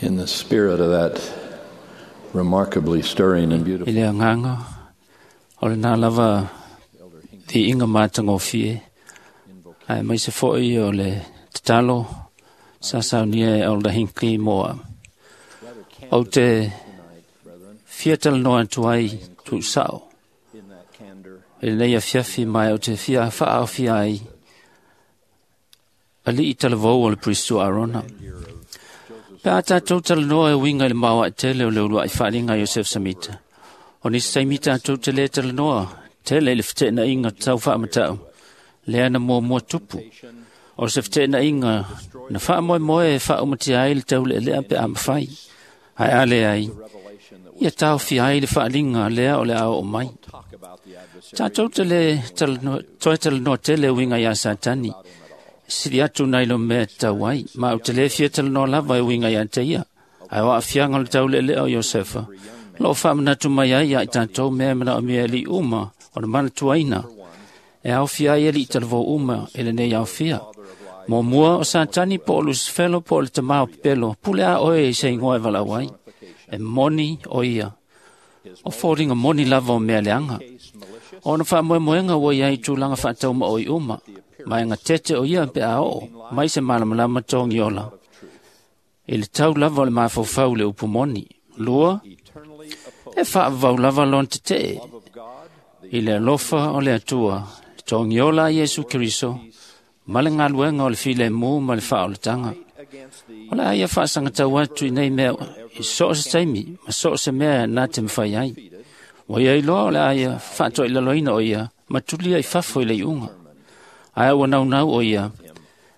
In the spirit of that remarkably stirring and I beautiful le agaga o lenā lava viiga matagofie aemaise foʻi o le tatalo sa saunia e Elder Hinckley mo a'u. Ou te fia talanoa atu ai tuusaʻo in that candor i lenei afiafi ma e ou te fia faaaofia ai aliʻi talavou o le Pristo Arona. Pe a tatou talanoa e uiga i le maoaʻe tele o le uluaʻi faaliga a Iosef Samita. O nisi taimi tatou te lē talanoa tele i le feteenaiga tau faamataʻu lea na muamua tupu. O se feteenaiga na faamoemoe e faaumatia ai le taulealea pe a mafai. Ae a leai, ia taofia ai le faaliga lea o le a oo mai. talk about the adversary Tatou te lē talanoa, toe talanoa tele e uiga iā Satani, sili atu nai lo mea tatau ai, ma ou te lē fia talanoa lava e uiga iā te ia. Ae o aafiaga o le taulealea o Iosefa, loo faamanatu mai ai ia i tatou mea e manaomia e aliʻi uma o le manatuaina, e aofia ai aliʻi talavou uma i lenei aofia. Muamua o Satani po o Lusifelo po o le tamā o pepelo, pule a oe i se igoa e valaau ai. E moni o ia, o foliga moni lava o mea leaga. Ona faamoemoega ua iai tulaga faataumaoi uma, ma e gatete o ia pe a oo mai se malamalama togiola i le tau lava o le mafaufau i le upu moni. Lua, eternally e faavavau lava lona tetee of God, the i le alofa o le Atua, le togiola a Iesu Keriso, ma le galuega o le filemu ma le faaolataga. against the O le a ia faasagatau atu i nei mea i so o se taimi ma so o se mea na te mafai ai. Ua ia iloa o le a ia faatoilaloina o ia ma tulia i fafo i le iuga. Ae ua naunau o ia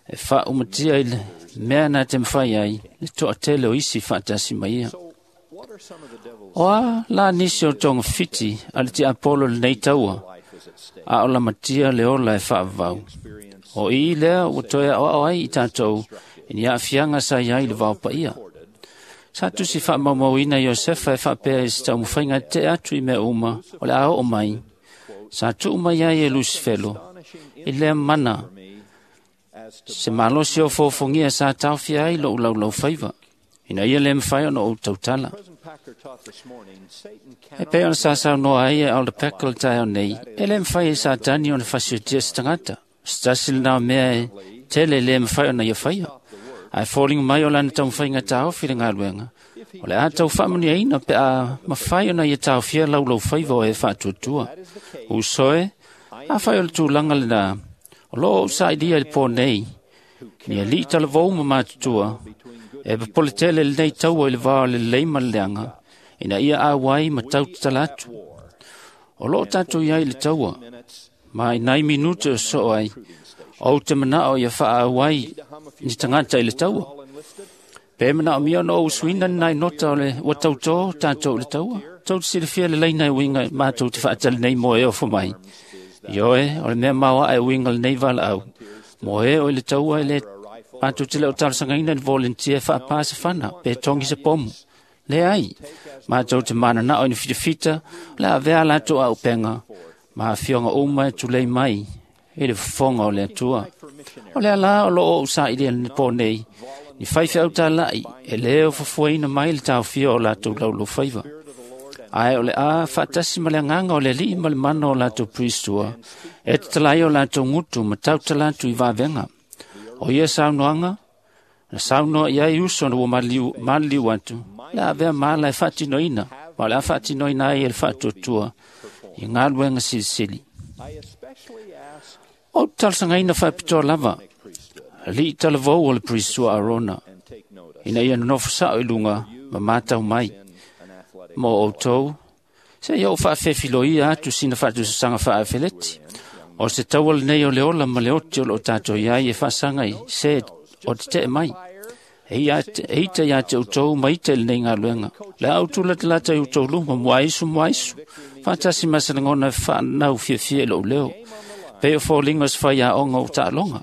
e faaumatia i le mea na te mafai ai le toatele o isi faatasi ma ia. what are some of the devil's O a la nisi o togafiti a le tiapolo lenei taua, life is at stake? a o lamatia le ola e faavavau. Experience O i lea ua toe aoao ai i tatou i ni aafiaga sa iai le vaopaia. Sa tusi faamaumauina Iosefa e faapea i se taumafaiga tetee atu i mea uma o le a oo mai. Sa tuu mai ai e Lusifelo i lea mana me as to se malosi o fofogia sa taofia ai lou laulaufaiva, ina ia lē mafai ona ou tautala. President Packer taught this morning, Satan E cannot pei ona sa saunoa ai e Elder Packer le taeao nei, e lē mafai e Satani ona fasiotia se tagata. Se tasi lenā o mea e tele lē mafai ona ia faia. Ae foliga mai o lana taumafaiga taofi le galuega. O le a tau faamanuiaina pe a mafai ona ia taofia laulaufaiva o e faatuatua. Usoe, afai o le tulaga lenā, o loo ou sailiia i le pō nei, ni aliʻi talavou ma matutua, e popole tele lenei taua i le va o le lelei ma le leaga, ina ia auai ma tau tatala atu. O loo tatou iai i le taua, minutes ma i nai minute o soo ai, ou te manao ia faaauai ni tagata i le taua. all enlisted Pe manaomia ona ou usuina ni nai nota o le ua tautō tatou i le taua. Tou te silafia le laina e uiga matou te faatali nei mo e ofo mai. Ioe, o le mea maoaʻe e uiga lenei valaau. Mo e o i le taua e lē matou te le o talosagaina ni volunteer e faapā se fana pe togi se pomu. Leai, matou te mananao i ni fitafita o le a avea a latou auupega ma afioga uma e tulei mai i le fofoga o le Atua. O le alā o loo ou sailia i le pō nei, ni faifeau talai e lē o fuafuaina mai le taofia o latou laulaufaiva. Ae o le a faatasi ma le agaga o le Alii ma le mana o latou Priestua, e tatala ai o latou gutu ma tautala atu i vavega. O ia saunoaga, na saunoa i ai uso na ua maliliu atu, le a avea mala e faatinoina, ma o le a faatinoina ai e le faatuatua i galuega silisili. I especially ask Ou te talosagaina faapitoa lava, aliʻi talavou o le Priestua Arona, and take notice ina ia nonofo sao i luga ma matau mai in an athletic mo outou, se ia ou faafefiloia atu sina faatusasaga faaafeleti. O se taua lenei o le ola ma le oti o loo tatou iai e faasaga i se o tetee mai. E ita iā te outou ma ita i lenei galuega. Le a ou tulatalata i outou luma muaisu muaisu. Faatasi ma se lagona e faanau fiafia i lou leo. Pei o foliga o se faiaoga o taaloga.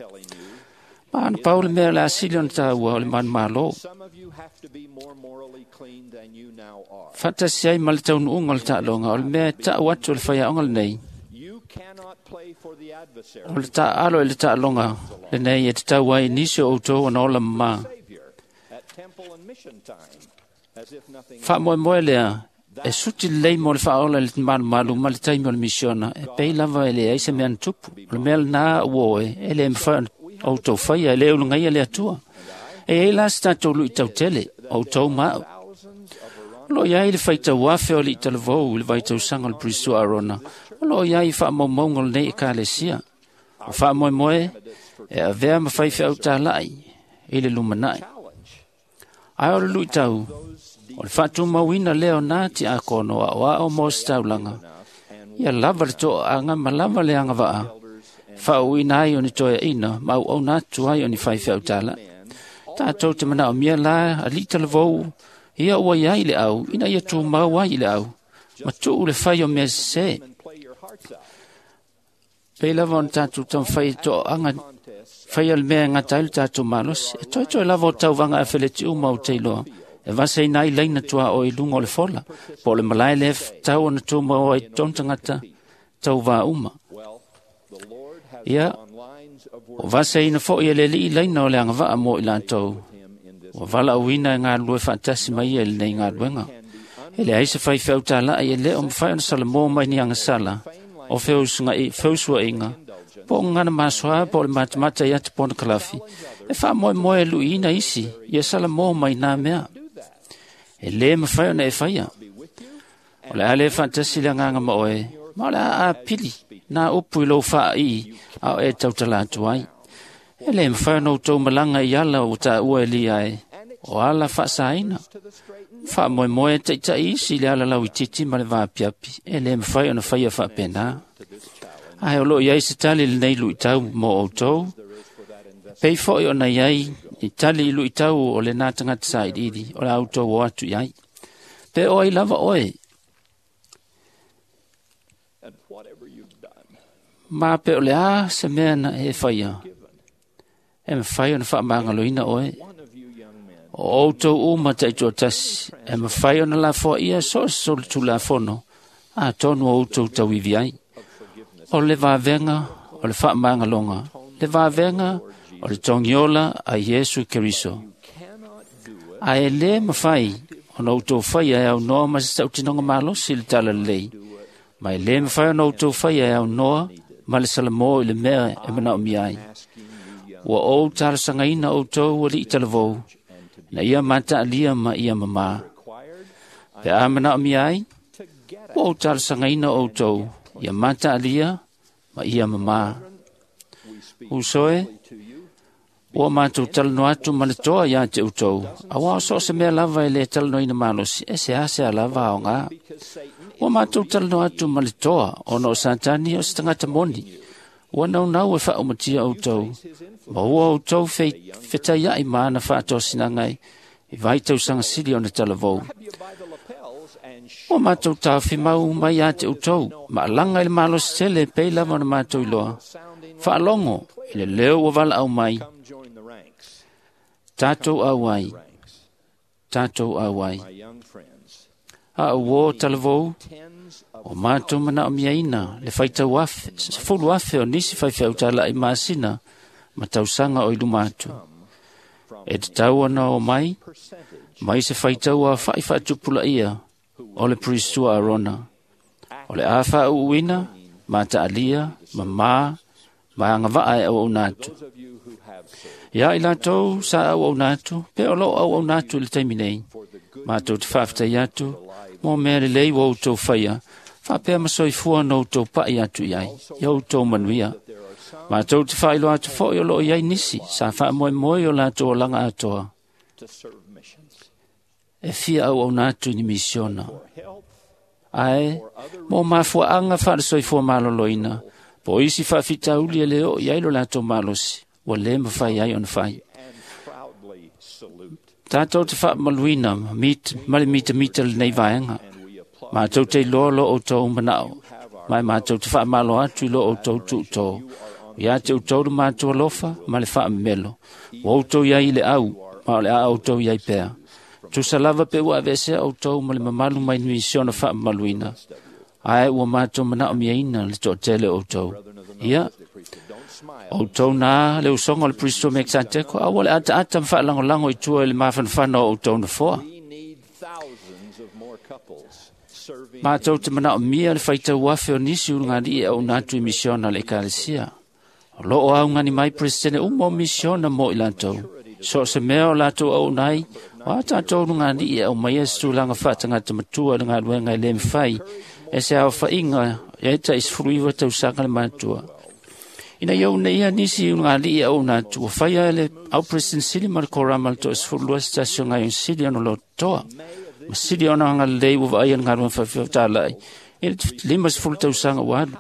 Ma ana pau le mea o le a sili ona taua o le manumalo. Some of you have to be more morally clean than you now are. Faatasi ai ma le taunuuga o le taaloga o le mea e taʻu atu o le faiaoga lenei. You cannot play for the adversary. O le taaalo i le taaloga lenei e tatau ai nisi o outou ona ola mamā. Savior at Faamoemoe lea e suti lelei mo le faaola i le malumalu ma le taimi o le misiona e pei lava e leai se mea na tupu. O le mea lenā ua oe e le mafai ona outou faia e le ulugaia le Atua. E i ai la se tatou luitau tele, outou ma au. O loo i ai le faitau afe o alii talavou i le vaitausaga o le Pirisito Arona, o loo i ai i faamaumauga o lenei Ekalesia. O faamoemoe e avea ma faifeau talai i le lumanai. Ae o le luitau, o le faatumauina lea o nā tiakono aoao mo se taulaga, ia lava le toaaga ma lava le agavaa, faauuina ai o ni toeaina ma auauna atu ai o ni faifeau talai. Tatou te manaomia la alii talavou ia ua iai le au ina ia tumau ai i le au, ma tuu le fai o mea sesē. Pei lava ona tatou taumafai e toaaga faia le mea e gata ai le tatou malosi. E toetoe lava o tauvaga afeleti uma o teiloa, e vasaina ai laina tuaoi i luga o le fola, po o le malae lea tatau ona tumau ai totonu tagata tauvā uma. Ia, o vasaina foi e le alii laina o le agavaa mo i latou, ua valaauina e galulue faatasi mai ia i lenei galuega. E leai se faifeau talai e le o mafai ona salamo mai ni agasala o feusuaiga, po o gagana masoa po o le matamata i ata ponokalafi, e faamoemoe e luiina isi ia salamo mai nā mea. E lē mafai ona e faia. O le a le faatasi le agaga ma oe, ma o le a apili nā upu i lou faaii a o e tautala atu ai. E lē mafai ona outou malaga i ala ua taua e lia ai, o ala faasaina. Faamoemoe e taitai isi i le ala lauitiiti ma le vaapiapi, e lē mafai ona faia faapenā. Ae o loo i ai se tali lenei luitau mo outou, pei foi ona i ai ni tali i luitau o lenā tagata sailiili o le a outou o atu i ai. Pe o ai lava oe, ma pe o le a se mea na e faia, e mafai ona faamagaloina oe. O outou uma taitoatasi, e mafai ona lafoaia so o se solitulafono atonu o outou tauivi ai. O le vavega o le faamagaloga, le vavega o le togiola a Iesu Keriso. Ae lē mafai ona outou faia e aunoa ma se tautinoga malosi i le talalelei, ma e lē mafai ona outou faia e aunoa ma le salamo i le mea e manaomia ai. Ua ou talosagaina outou alii talavou, na ia mataalia ma ia mamā. Pe a manaomia ai, ua ou talosagaina outou ia mataalia ma ia mamā. Uso e, ua matou talanoa atu ma le toa iā te outou, auā o so o se mea lava e lē talanoaina malosi, e seasea lava aogā. Ua matou talanoa atu ma le toa, ona o Satani o se tagata moni, ua naunau e faaumatia outou, ma ua outou fetaiai ma ana faatosinaga i vaitausaga sili ona talavou. Ua matou taofimau mai ia te outou, ma alaga i le malosi tele pei lava ona matou iloa. Faalogo i le leo ua valaau mai, tatou auai, tatou auai. A uō talavou, o matou manaomiaina le faitau afe, 10,000 o nisi faifeau talai masina ma tausaga o i luma atu. E tatau ona o mai, mai se faitau aofa'i faatupulaia o le Pirisito Arona. O le a faauuina, mataalia, mamā, ma agavaa e auauna atu. Ia i latou sa auauna atu, pe o loo auauna atu i le taimi nei, matou te faafetai atu mo mea lelei ua outou faia, faapea ma soifua na outou pa'i atu i ai, ia outou manuia. Matou te faailoa atu foi o loo i ai nisi sa faamoemoe o latou olaga atoa, e fia auauna atu i ni misiona. Ae, mo mafuaaga faalesoifua maloloina, po o isi faafitauli e le oo i ai lo latou malosi, ua lē mafai ai ona fai. Tatou te faamaluina ma le mitamita lenei vaega. Matou te iloa lo outou manao, ma e matou te faamalo atu i lo outou tuutō. Ia te outou le matou alofa ma le faamemelo. Ua outou i ai i le au, ma o le a outou i ai pea. Tusa lava pe ua aveesea outou ma le mamalu mai ni misiona faamamaluina, ae ua matou manaomiaina le toatele o outou. Ia, O outou na le usoga o le Pristo Mekisateko, aua le ataata ma faalagolago i tua i le mafanafana o outou nofoa. Matou te manaomia le faitau afe o nisi ulugalii e auuna atu i misiona a le Ekalesia. O loo augani mai Peresetene uma o misiona mo i latou. So o se mea o latou auuna ai, o a tatou ulugalii e aumaia se tulaga faatagata matua i le galuega e lē mafai e se aofaiga e tai 19 tausaga le matua. Ina ia uunaia nisi ulugalii e auuna atu, ua faia e le au Peresetene sili ma le korama le toa-12 se tasi o gaoioiga sili ona lotoa ma sili ona agalelei ua vaaia le galuega faifeau i le 50 tausaga ua alu.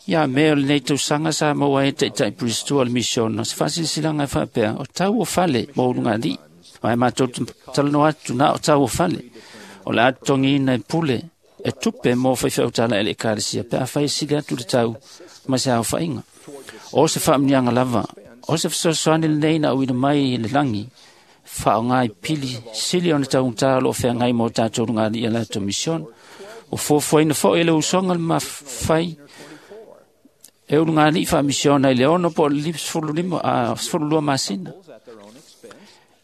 Ia mea o lenei tausaga sa maua ai e taitai Priestua le misiona se faasilasilaga e faapea o tau o fale mo ulugalii. Ae matou te talanoa atu na o tau o fale. O le a totogiina e pule e tupe mo faifeau talai a le Ekalesia pe afai e sili atu le tau ma se aofaiga. O se faamuniaga lava, o se fesoasoani lenei na auina mai i le lagi, faaaoga i pili sili ona taugata o loo feagai ma o tatou lugalii a latou misiona. Ua fuafuaina foi e le usoga le mafai e ulugalii faamisiona i le 6 po o le 12 masina.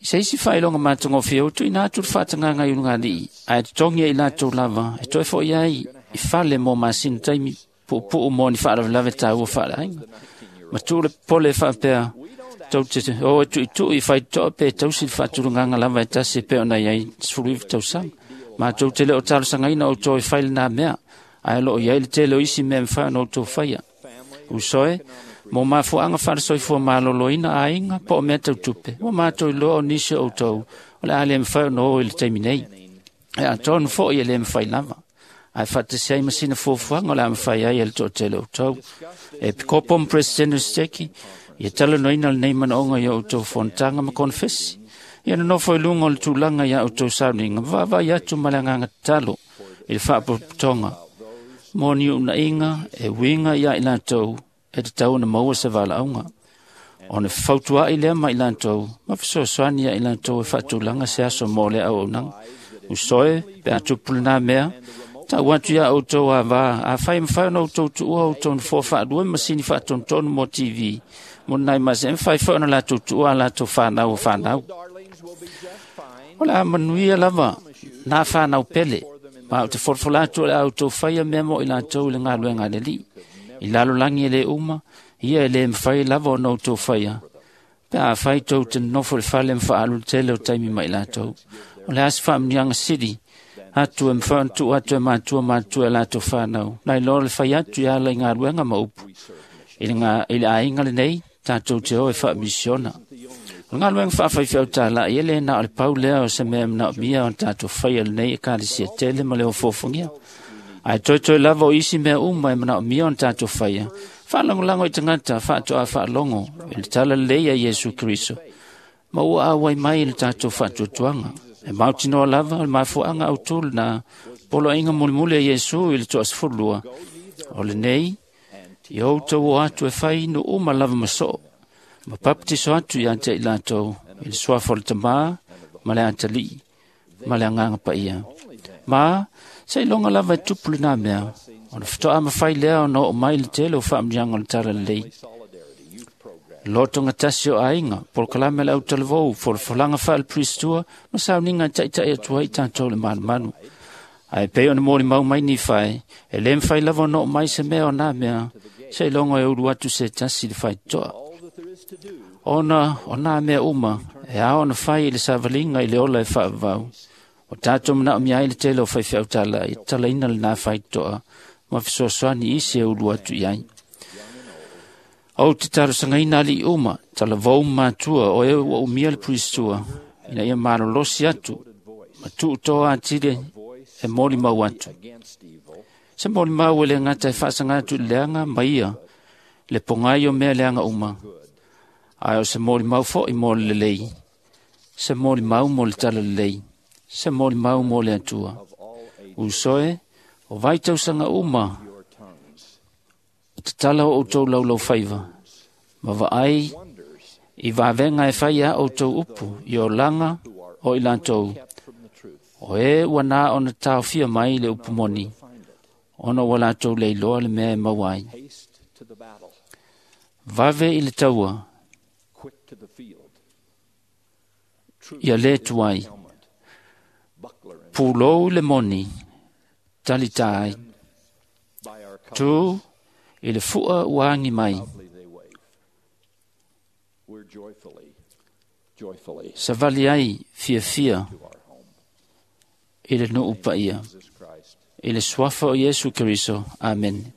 I se isi faailoga matagofie ua tuuina atu le faatagaga i ulugalii ae totogi e i latou lava e toe fo'i ai i fale mo masina taimi puupuu mo ni faalavelave taua faaleaiga. Ma tuu le pole faapea tou te o e tuitui i faitotoa pe tausi le faatulagaga lava e tasi e pei ona i ai 19 tausaga. Matou te le o talosagaina outou e fai lenā mea, ae o loo i ai le tele o isi mea e mafai ona outou faia. Usoe, mo mafuaaga faalesoifua maloloina aiga po o mea tau tupe, ua matou iloa o nisi o outou o le a le mafai ona o i le taimi nei. E atonu foi e le mafai lava, ae faatasi ai ma sina fuafuaga o le a mafai ai e le toatele o outou. E pikopo ma Peresetene o Seteki, ia talanoaina lenei manaoga i o outou fonotaga ma konefesi. Ia nonofo i luga o le tulaga ia outou sauniga, ma vaavaai atu ma le agaga tatalo i le faapotopotoga mo ni uunaiga e uiga ia i latou e tatau ona maua se valaauga. Ona fautua'i lea ma i latou ma fesoasoani ia i latou e faatulaga se aso mo le auaunaga. Usoe, pe a tupu lenā mea, tau atu ia outou avā, afai e mafai ona outou tuua outou nofoa faalua ma masini faatonutonu mo TV, mo nai mase e mafai foi ona latou tuua a latou fanau o fanau. O le a manuia lava nā fanau pele, ma ou te folafola atu o le a outou faia mea mo i latou i le galuega a le Alii. I lalolagi e lē uma, ia e lē mafai lava ona outou faia, pe afai tou te nonofo i le fale ma faaalu le tele o taimi ma i latou. O le a se faamuniaga sili atu e mafai ona tuu atu e matua matutua e latou fanau, nai loa le fai atu i ala i galuega ma upu. I le aiga lenei, tatou te o e faamisiona. O le galuega faafaifeau talai e lē na o le pau lea o se mea e manaomia ona tatou faia lenei Ekalesia tele ma le ofofogia. Ae toetoe lava o isi mea uma e manaomia ona tatou faia, faalagolago i tagata faatoa faalogo i le tala lelei a Iesu Keriso, ma ua auai mai i le tatou faatuatuaga. E mautinoa lava o le mafuaaga autū lenā poloaiga mulimuli a Iesu i le toa-12, o lenei, ia outou o atu e fai nuu uma lava ma soo, ma papatiso atu ia te i latou i le suafa o le Tamā ma le Atalii ma le Agaga Paia. Ma se iloga lava e tupu lenā mea, ona faatoa mafai lea ona oo mai le tele o faamuniaga o le tala lelei. Lotoga tasi o aiga, polokalame le autalavou, folafolaga faale-Priestua ma sauniga e taitai atu ai tatou le malumalu. Ae pei ona molimau mai Nifae, e lē mafai lava ona oo mai se mea o nā mea, se iloga e ulu atu se tasi i le faitotoa. Ona o nā mea uma, e ao ona fai i le savaliga i le ola e faavavau. O tatou manaomia ai le tele o faifeau talai, e tatalaina lenā faitotoa ma fesoasoani isi e ulu atu i ai. Ou te talosagaina alii uma, talavou ma matua o e ua umia le Priestua, ina ia malolosi atu ma tuutoa atili e molimau atu. Se molimau e le gata e faasaga atu i le leaga ma ia le pogai o mea leaga uma, ae o se molimau foi mo le lelei, se molimau mo le tala lelei, se molimau mo le Atua. Usoe, o vai tausaga uma, tatala o outou laulau faiva, ma vaai i vavega e fai a outou upu i olaga o i latou, o e ua nā ona taofia mai le upu moni, ona ua latou leiloa le mea e maua ai. Vave i le taua, Quick to the field. ia le tuai. Helmet. Buckler and Pulou i le moni, talitā ai. by our Tū i le fua ua agi mai. proudly they wave. We're joyfully, joyfully Savali ai fiafia to our home. i le nuu paia. Jesus Christ. I le suafa o Iesu Keriso. Amen.